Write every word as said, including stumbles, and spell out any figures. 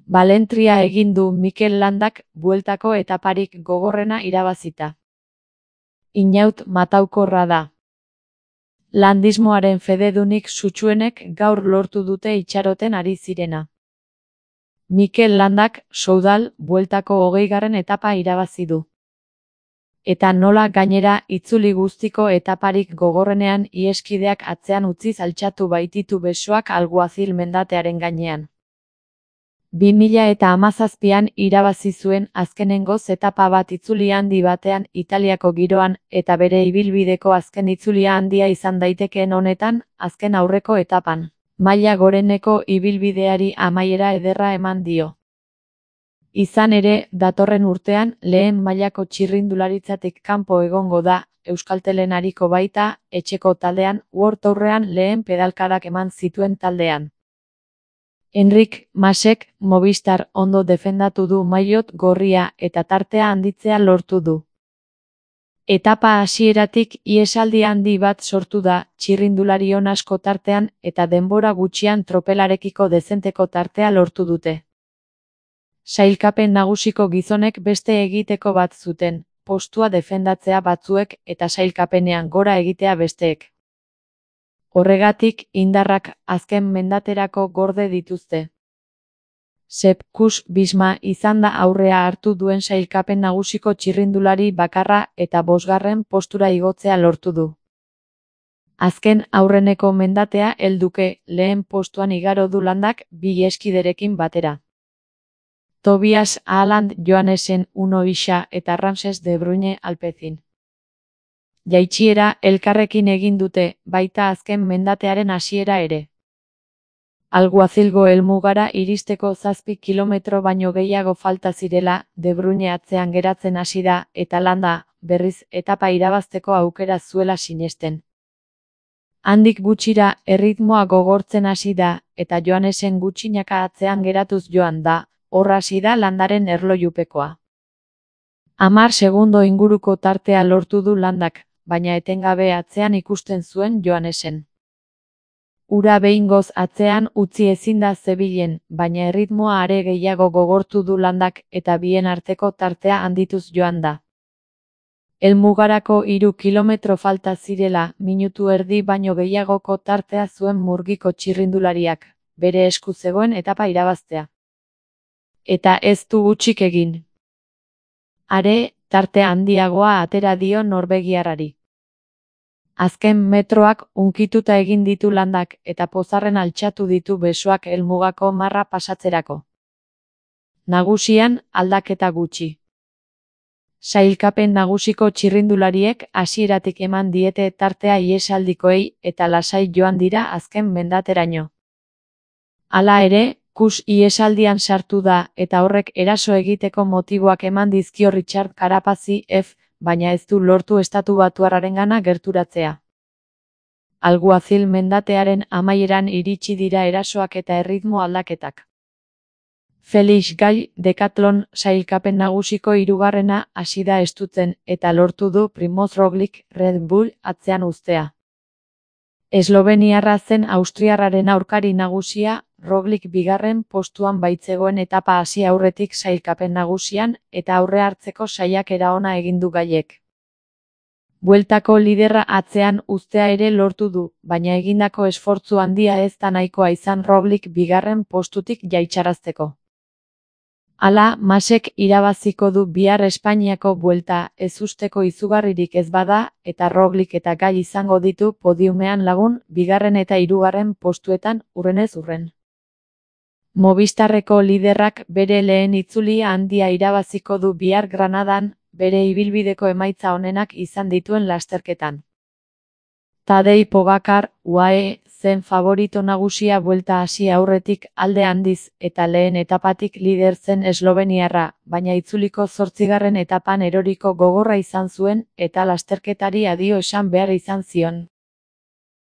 Balentria egin du Mikel Landak bueltako etaparik gogorrena irabazita. Inaut mataukorra da. Landismoaren fededunik sutsuenek gaur lortu dute itxaroten ari zirena. Mikel Landak Soudal bueltako hogeigarren etapa irabazi du. Eta nola gainera itzuli guztiko etaparik gogorrenean iheskideak atzean utziz altxatu baititu besoak Alguazil mendatearen gainean. bi mila eta hamazazpian irabazi zuen azkenengoz etapa bat itzuli handi batean Italiako giroan eta bere ibilbideko azken itzulia handia izan daitekeen honetan azken aurreko etapan. Maila goreneko ibilbideari amaiera ederra eman dio. Izan ere, datorren urtean lehen mailako txirrindularitzatik kanpo egongo da, Euskaltelen ariko baita, etxeko taldean, World Tourrean lehen pedalkadak eman zituen taldean. Enric Masek Movistar ondo defendatu du maillot gorria eta tartea handitzea lortu du. Etapa hasieratik ihesaldi handi bat sortu da, txirrindulari on asko tartean eta denbora gutxian tropelarekiko dezenteko tartea lortu dute. Sailkapen nagusiko gizonek beste egiteko bat zuten, postua defendatzea batzuek eta sailkapenean gora egitea besteek. Horregatik, indarrak azken mendaterako gorde dituzte. Sepp Kuss Visma izan da aurrea hartu duen sailkapen nagusiko txirrindulari bakarra eta bosgarren postura igotzea lortu du. Azken aurreneko mendatea helduke lehen postuan igaro du Landak bi iheskiderekin batera. Tobias Haaland Joannesen Uno Isa eta Ramses de Bruyne Alpecin. Jaitsiera elkarrekin egin dute, baita azken mendatearen hasiera ere. Alguazilgo helmugara iristeko zazpi kilometro baino gehiago falta zirela, De Bruyne atzean geratzen hasi da eta Landa, berriz etapa irabazteko aukera zuela sinesten. Handik gutxira erritmoa gogortzen hasi da eta Joannesen gutxinaka atzean geratuz joan da, hor hasi da Landaren erlojupekoa. Hamar segundo inguruko tartea lortu du Landak, baina etengabe atzean ikusten zuen Joannesen. Ura behingoz atzean utzi ezin da zebilen, baina erritmoa are gehiago gogortu du Landak eta bien arteko tartea handituz joan da. Helmugarako hiru kilometro falta zirela, minutu erdi baino gehiagoko tartea zuen murgiko txirrindulariak, bere esku zegoen etapa irabaztea. Eta ez du hutsik egin. Are, tarte handiagoa atera dio norbegiarrari. Azken metroak unkituta egin ditu Landak eta pozarren altxatu ditu besoak helmugako marra pasatzerako. Nagusian, aldaketa gutxi. Sailkapen nagusiko txirrindulariek hasieratik eman diete tartea ihesaldikoei eta lasai joan dira azken mendateraino. Hala ere, Kuss ihesaldian sartu da eta horrek eraso egiteko motiboak eman dizkio Richard Carapazi F, baina ez du lortu estatu batuarrarengana gerturatzea. Alguazil mendatearen amaieran iritsi dira erasoak eta erritmo aldaketak. Felix Gall Decathlon sailkapen nagusiko hirugarrena hasi da estutzen eta lortu du Primoz Roglic Red Bull atzean uztea. Esloveniarra zen austriarraren aurkari nagusia, Roglic bigarren postuan baitzegoen etapa hasi aurretik sailkapen nagusian eta aurre hartzeko saiakera ona egin du Gallek. Bueltako liderra atzean uztea ere lortu du, baina egindako esfortzu handia ez da nahikoa izan Roglic bigarren postutik jaitsarazteko. Hala, Masek irabaziko du bihar Espainiako buelta, ezusteko izugarririk ez bada, eta Roglic eta Gall izango ditu podiumean lagun, bigarren eta hirugarren postuetan hurrenez hurren. Movistarreko liderrak bere lehen itzulia handia irabaziko du bihar Granadan, bere ibilbideko emaitza onenak izan dituen lasterketan. Tadej Pogačar, U A E, zen favorito nagusia buelta hasi aurretik alde handiz eta lehen etapatik lider zen esloveniarra, baina itzuliko zortzigarren etapan eroriko gogorra izan zuen eta lasterketari adio esan behar izan zion.